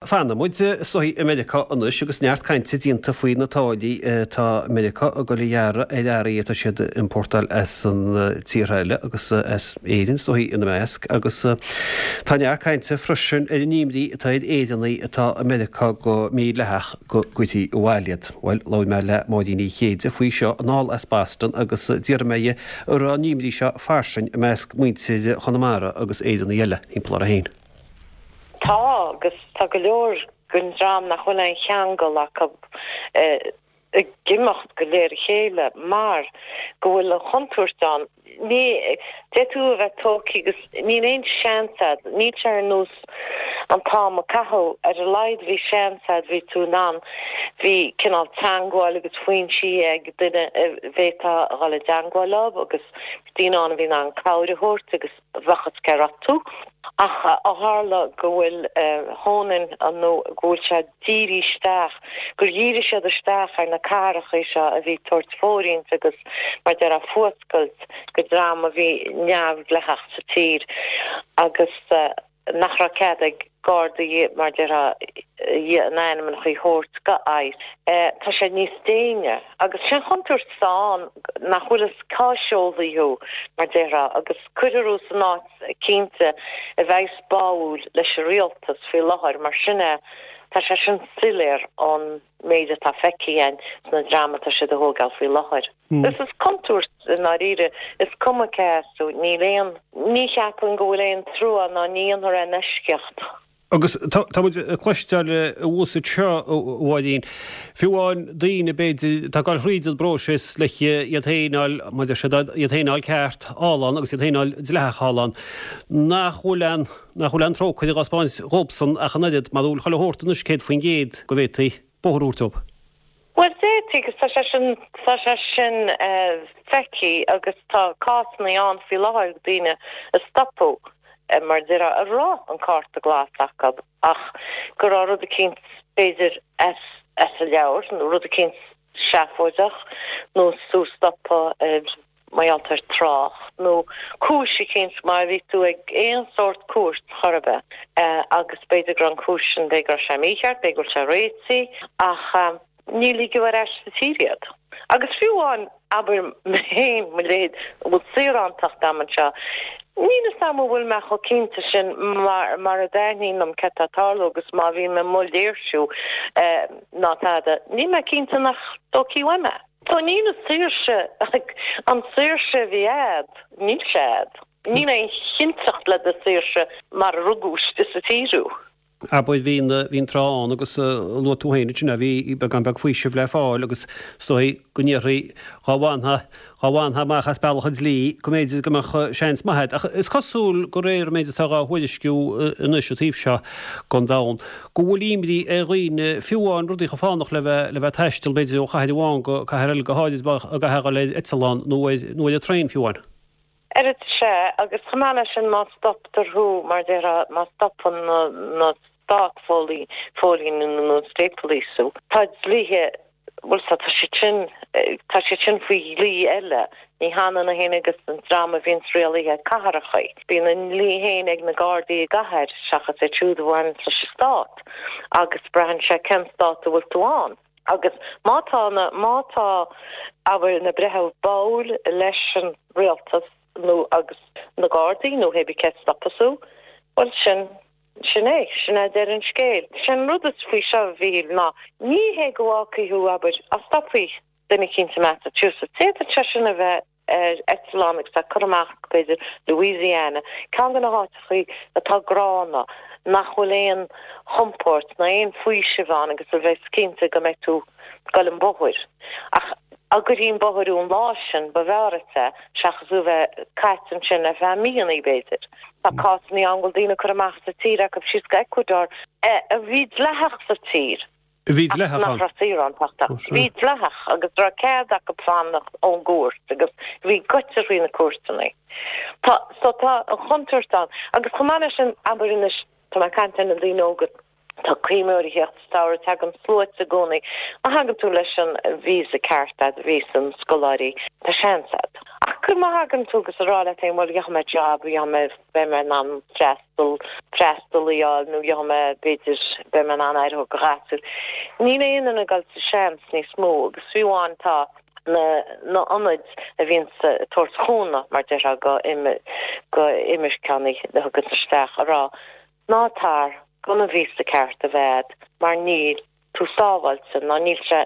Fanfaidh muid is dóigh i Meiriceá anois agus neart cainte déanta faoi na táillí atá Meiriceá ag dul a ghearradh ar earraí atá siad a iompórtáil as an tíortha eile agus as Éirinn is dóigh ina measc agus tá neart cainte freisin ar an imní atá ar Éireannaigh atá i Meiriceá go mídhleathach go gcuirfí abhaile iad. Bhuel, labhair mé le Máirín Uí Chéide faoi seo anall as Boston agus d'fhiafraigh mé dhi an raibh an imní seo fairsing i measc muintir Chonamara agus Éireannaigh eile thimpeall orthu féin. Tá, agus tá go leor den dream nach bhfuil aon cheangal acu ag imeacht go léir a chéile mar go bhfuil an chontúirt ann. Ní, d'fhéadfadh tú a bheith tógtha agus níl aon seans a'd, níl sé ar nós an t-am a caitheadh, ar a laghad bhí seans a'd, bhí tú in ann, bhí cineál teangmháil agus foinsí ag duine a bhféadfá a dhul i dteangmháil leo agus daoine ann a bhí in ann cabhair a thabhairt agus bheadh a fhios cé raibh tú. Ach ó tharla go bhfuil hone in nó go bhfuil sé dírithe isteach, gur dhírigh siad isteach ar na cathracha seo a bhí ag tabhairt fóirithint agus mar déarfá fuascailt go dream a bhí neamhdhleathach sa tír agus nach raibh cead ag Gardaí mar déarfá a n-ainmneacha a thabhairt go ICE. Tá sé níos déine agus sé an chontúirt atá ann nach bhfuil fhios cá seolfaí thú mar déarfá agus cuirfear thú san áit cinnte a bheas báúil leis an rialtas faoi láthair mar sin é tá sé sin soiléir ón méid atá feicthe againn sna dream atá siad a thógáil faoi láthair. Is is contúirt i ndáiríre, is cuma cé as tú, níl aon, ní cheapaim go bhfuil aon trua ná ní dhéanfar aon eisceacht. Agus tá muid ag cloisteáil abhus anseo, a Mháirín, fiú amháin daoine, b'fhéidir, atá ag dul thríd an bpróiseas le iad féin a fháil, mar a deir siad, iad féin a fháil ceart thall ann agus iad féin a fháil dleathach thall ann, nach bhfuil aon, nach bhfuil aon trócaire dhá spáint dhóibhsan ach an oiread, mar bhfuil chuile shórt anois 100% go bhféadfaí bóthar a thabhairt dóibh. Bhuel, d'fhéadfaí, agus tá sé sin, tá sé sin feicthe agus tá cásanna ann faoi láthair daoine a stopadh mar a déarfá a raibh an cárta glas acu ach go raibh rud eicínt b'fhéidir as as an leabhar nó rud eicínt seafóideach nó tú stoptha ar mar gheall ar trácht nó cúis eicínt mar bhí tú ag aon sórt cúirt chor ar bith agus b'fhéidir go raibh an cúis sin, b'fhéidir go raibh sé mícheart, b'fhéidir go bhfuil sé réitithe ach ní ligeadh ar ais sa tír iad. Agus fiú amháin, abair mé féin, mo leithéid, a bhfuil saorántacht a'm anseo, níl fhios a'm an bhfuil mé chomh cinnte sin mar mar a dtaitníonn liom céard tá ag tarlú agus má bhíonn mé amuigh ag léirsiú ná tada, níl mé cinnte nach dtógfaí uaim é. So níl an saoirse, an saoirse a bhí a'd, níl sé a'd. Níl aon chinnteacht le do saoirse mar a rugadh istigh sa tír thú. Abair, bhí an, bhí an tráth ann agus luaigh tú féin ansin é, bhí beagán beag faoisimh le fáil agus is dóigh go ndéarfaí dhá bhfanfá, dhá bhfanfá amach as bealach an dlí go mb'fhéidir go mbeadh seans maith a'd. Ach is cosúil de réir an méid atá dhá thuairisciú anois an taobh seo den domhan, go bhfuil imní ar dhaoine, fiú amháin rudaí chomh fánach le bheith le bheith ag taisteal b'fhéidir ó chathair amháin go cathair eile, go háirid má chaithfeá a dhul ar eitleán nó ar nó ar an traein fiú amháin. Oiread sea, agus chomh maith leis sin má stoptar thú, mar déarfá, má stopann na na stát phóilíní nó state police thú, tá dlíthe Bhuel, tá siad sin, tá siad sin faoi dhlí eile. Ní hionann é féin agus an dream a bhíonns rialaithe cathracha. Bíonn a ndlí féin ag na Gardaí i gcathair seachas iad siúd a bhaineanns leis an stát. Agus braitheann sé cén stát a bhfuil tú ann. Agus má tá na, má tá, abair, na breithimh báúil leis an rialtas nó agus na Gardaí nó hé bí cé stopas thú, bhuel sin, Sin é. Sin é deireadh an scéil. Sé an rud is faoi seo, a Mhíchíl, ná ní hé go bhfágfaidh thú, abair, dá stopfaí duine eicínt i Massachusetts, d'fhéadfadh sé sin a bheith ar eitleán agus é curtha amach go, b'fhéidir, Louisiana, ceann de na háiteachaí atá gránna, nach bhfuil aon chompóirt ná aon faoiseamh ann agus a bheas cinnte go mbeidh tú ag goil an bóthar. Ach dá gcuirfí an bóthar thú an lá sin, ba bhfearr duit é seachas thú a bheith caite ansin ar feadh míonna, b'fhéidir. Tá cásanna ann go bhfuil daoine curtha amach as an tír acu síos go Ecuador a bhí dleathach sa tír A bhí dleathach ach nach ann. raibh saorántacht acu. Bhí dleathach agus raibh cead acu fanacht ón gcúirt agus bhí goitse faoi na cúirteanna. Tá so tá an chontúirt ann agus chomh maith leis sin abair anois tá mé ag caint ar na daoine óga. Tá coimreoirí ag teacht sa samhradh, tagann sluaite i gcónaí. Má thagann tú leis an visa ceart a'd, visa na scoláirí, tá seans a'd. Ach go má thagann tú agus a rá leat féin, bhuel, gheobhaidh mé job, gheobhaidh mé, beidh mé in ann freastal, freastal a fháil nó gheobhaidh mé, b'fhéidir, beidh mé in ann aire a thabhairt do ghasúir. Níl aon duine ag dul sa seans níos mó agus fiú amháin tá na na ionaid a bhíonns ag tabhairt chúnamh, mar déarfá, go go imirceánaigh a thugann isteach a rá Ná tar gan an víosa ceart a bheith a'd mar níl tú sábháilte ná níl sé,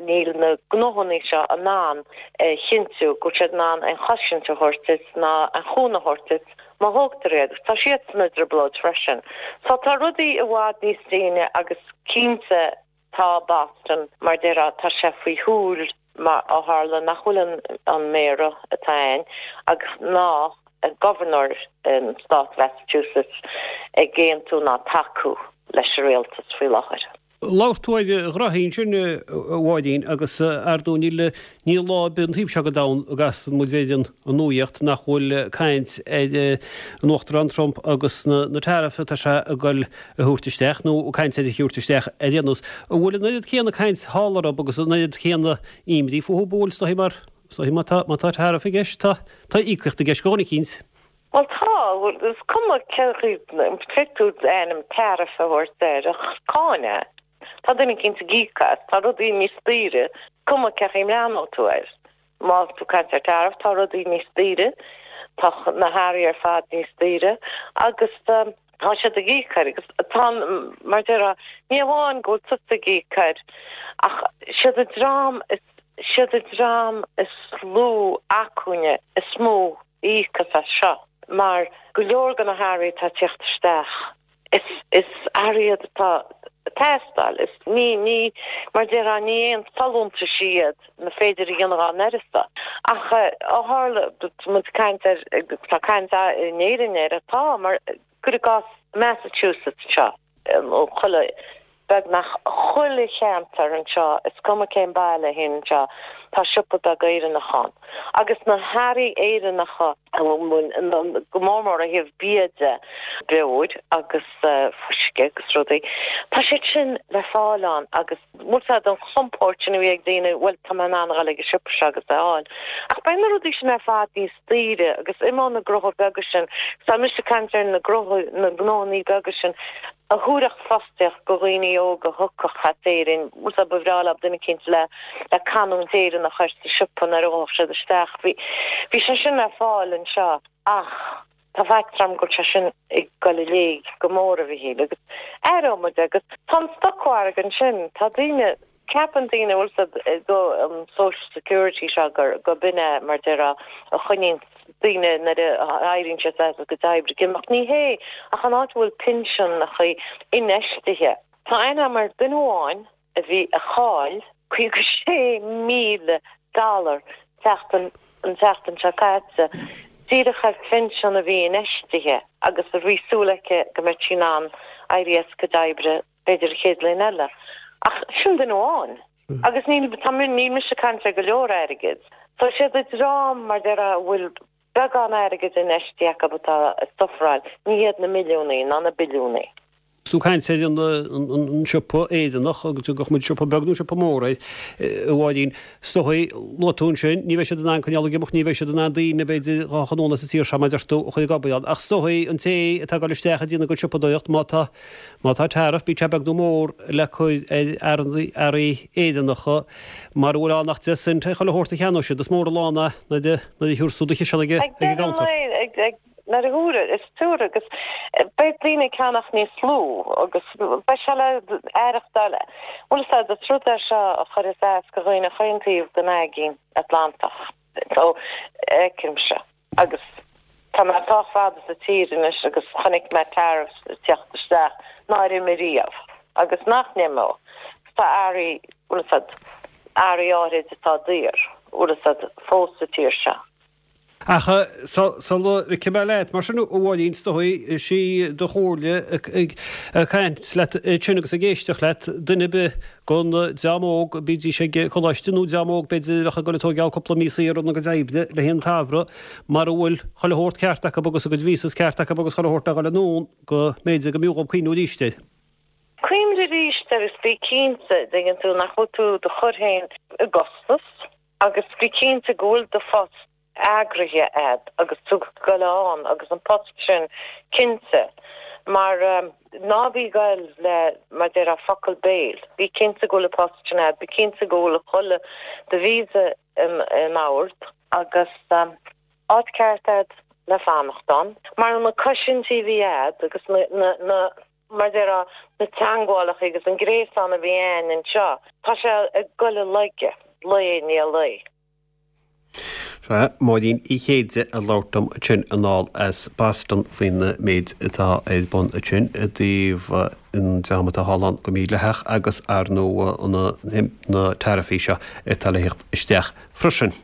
níl na gnóthannaí seo in ann a chinntiú go bhfuil siad in ann aon chosaint a thabhairt duit ná aon chúnamh a thabhairt duit má thógtar iad agus tá siadsan i dtrioblóid freisin. So tá rudaí i bhfad níos déine agus cinnte Tá Boston, mar déarfá, tá sé faoi shúil mar ó tharla nach bhfuil an an méara atá ann agus ná gobharnóir an stát Mhassachusetts ag aontú ná tacú leis an rialtas faoi láthair. Labhair tú ar ghraithí ansin, a Mháirín, agus ar ndóigh níl Níl lá ar bith an taobh seo den domhan a gcasann muid ar an nuaíocht nach bhfuil caint ar an Uachtarán Trump agus na tariffs atá sé ag goil a thabhairt isteach, nó caint ar a thabhairt isteach ar aon nós. An bhfuil an oiread céanna caint thall oraibh agus an oiread céanna imní fúthu? Bhuel, is dóigh mar, is dóigh má tá, má tá tariff i gceist, tá, tá íocaíocht i gceist go dhuine eicínt. Bhuel tá, is cuma cén chaoi, féadfaidh tú ainm tariff a thabhairt air ach is cáin é. Tá duine eicínt ag íoc as, tá rudaí níos daoire, cuma cén chaoi a mbreathnóidh tú air. Má tá tú ag caint ar tariff, tá rudaí níos daoire, tá na hearraí ar fad níos daoire agus tá siad ag íoc air agus tá, mar déarfá, ní amháin go bhfuil tusa ag íoc air ach siad an dream is, siad an dream is lú acmhainne is mó a íocfas as seo mar go leor de na hearraí atá ag tíocht isteach, Is is earraí iad atá ag teastáil. Is ní ní mar déarfá ní aon folúntais iad na féidir a dhéanamh dá n-uireasa. Ach ó tharla muid ag caint ar tá caint in Éirinn air atá mar cuir i gcás Massachusetts anseo nó chuile Beagnach chuile cheantar anseo, is cuma cén baile a théann anseo, tá siopa beag Éireannach ann. Agus na hearraí Éireannacha, go mór mór ó thaobh bia de, beoir agus fuisce agus rudaí, tá siad sin le fáil ann agus bhfuil fhios a'd an chompóirt sin a bhí ag daoine, bhuel tá mé in ann a dhul ag an siopa seo agus é a fháil. Ach beidh na rudaí sin ar fad níos daoire agus imeoidh na gnóthaí beaga sin, tá mise ag caint ar na gnóthaí, na gnóthannaí beaga sin a thabharfadh fostaíocht go dhaoine óga a thiocfadh as Éirinn, bhfuil fhios a'd, ba bhreá leo duine eicínt le, le canúint Éireannach air sa siopa nuair a ghabhfadh siad isteach. Bhí, bhí sé sin ar fáil anseo ach tá faitíos orm go bhfuil sé sin ag dul i léig go mór, a Mhichíl, agus aireoidh muid é agus tá an stocmhargadh ansin, tá daoine, Ceapann daoine, bhfuil fhios a'd, go an social security seo gur go b'in é mar déarfá a choinníonn daoine nuair a éiríonn siad as a gcuid oibre ag imeacht. Ní hé ach an áit a bhfuil pinseanacha infheistithe. Tá aithne agam ar duine amháin a bhí a chaill 56,000 dollar tseachtain an tseachtain seo caite díreach ar phinsean a bhí infheistithe agus a bhí súil aici go mbeadh sí in ann éirí as a cuid oibre b'fhéidir an chéad bhliain eile. Ach sin duine amháin. Agus níl, tá, níl mise ag caint ar go leor airgid. So siad an dream, mar déarfá, a bhfuil beagán airgid infheistithe acu atá ag sufferáil, ní hiad na milliúnaí ná na billiúnaí. Tú ag caint ar an siopa Éireannach agus tugadh muid siopa beag nó siopa mór air, a Mháirín. Is dóigh, luaigh tú ansin, ní bheidh siad in ann coinneáil ag imeacht, ní bheidh siad in ann daoine, b'fhéidir, dhá chanúint as an tír seo, mar a deir tú, a chur ag obair ann. Ach is dóigh, an té atá ag dul isteach ag déanamh a gcuid siopadóireacht, má tá Má tá tariff, bíodh sé beag nó mór, le cur ar earraí Éireannacha, mara bhfuil ann ach 10 cent ar chuile shórt a cheannóidh siad, is mór an lán é nuair a thabharfas tú do chiseán ag an gcuntar. Nuair a thabharfaidh, is tabharfaidh agus beidh daoine ag ceannach níos lú agus beidh sé le aireachtáil. Bhfuil fhios a'd, is rud é seo a chuirfeas as go dhaoine chaon taobh den Aigéan Atlantach. So, feicimse. Agus tá mé sách fada sa tír anois agus chonaic mé tariffs ag teacht isteach nár imigh riamh agus nach n-imeoidh. Tá earraí, bhfuil fhios a'd, earraí áirid atá daor, bhfuil fhios a'd, fós sa tír seo. Ach sula ligfidh mé leat, mar sin, a Mháirín, is dóigh, is í do chomhairle ag caint leat ansin agus ag éisteacht leat, duine ar bith den dream óg, bídís ag coláiste nó dream óg b'fhéidir a bheadh ag dul ag tóigeáil cúpla mí saor óna gcuid oibre le haghaidh an tsamhraidh, mara bhfuil chuile shórt ceart acu agus a gcuid visas ceart acu agus chuile shórt le dhul anonn, go mb'fhéidir go mb'fhiú dhób cuimhniú arís air. Cuimhnigh arís air agus bí cinnte, dtuigeann tú, nach bhfuil tú do chur féin i gcostas agus bí cinnte go bhfuil do phost eagraithe a'd agus tú ag goil ann agus an post sin cinnte mar ná bí ag goil le, mar déarfá, focal béil. Bí cinnte go bhfuil an post sin a'd, bí cinnte go bhfuil chuile, do visa in ord agus áit ceart a'd le fanacht ann. Mar na cosaintí a bhí a'd agus na, na, na, mar déarfá, na teangmhálacha agus an gréasán a bhí a'ainn anseo, tá sé ag goil i laige, lae i ndiaidh lae. Sea, Máirín Uí Chéide ag labhairt liom ansin anall as Boston faoin méid atá ar bun ansin i dtaobh an dream atá thall ann go mídhleathach agus ar ndóigh na taraifí seo atá le theacht isteach freisin.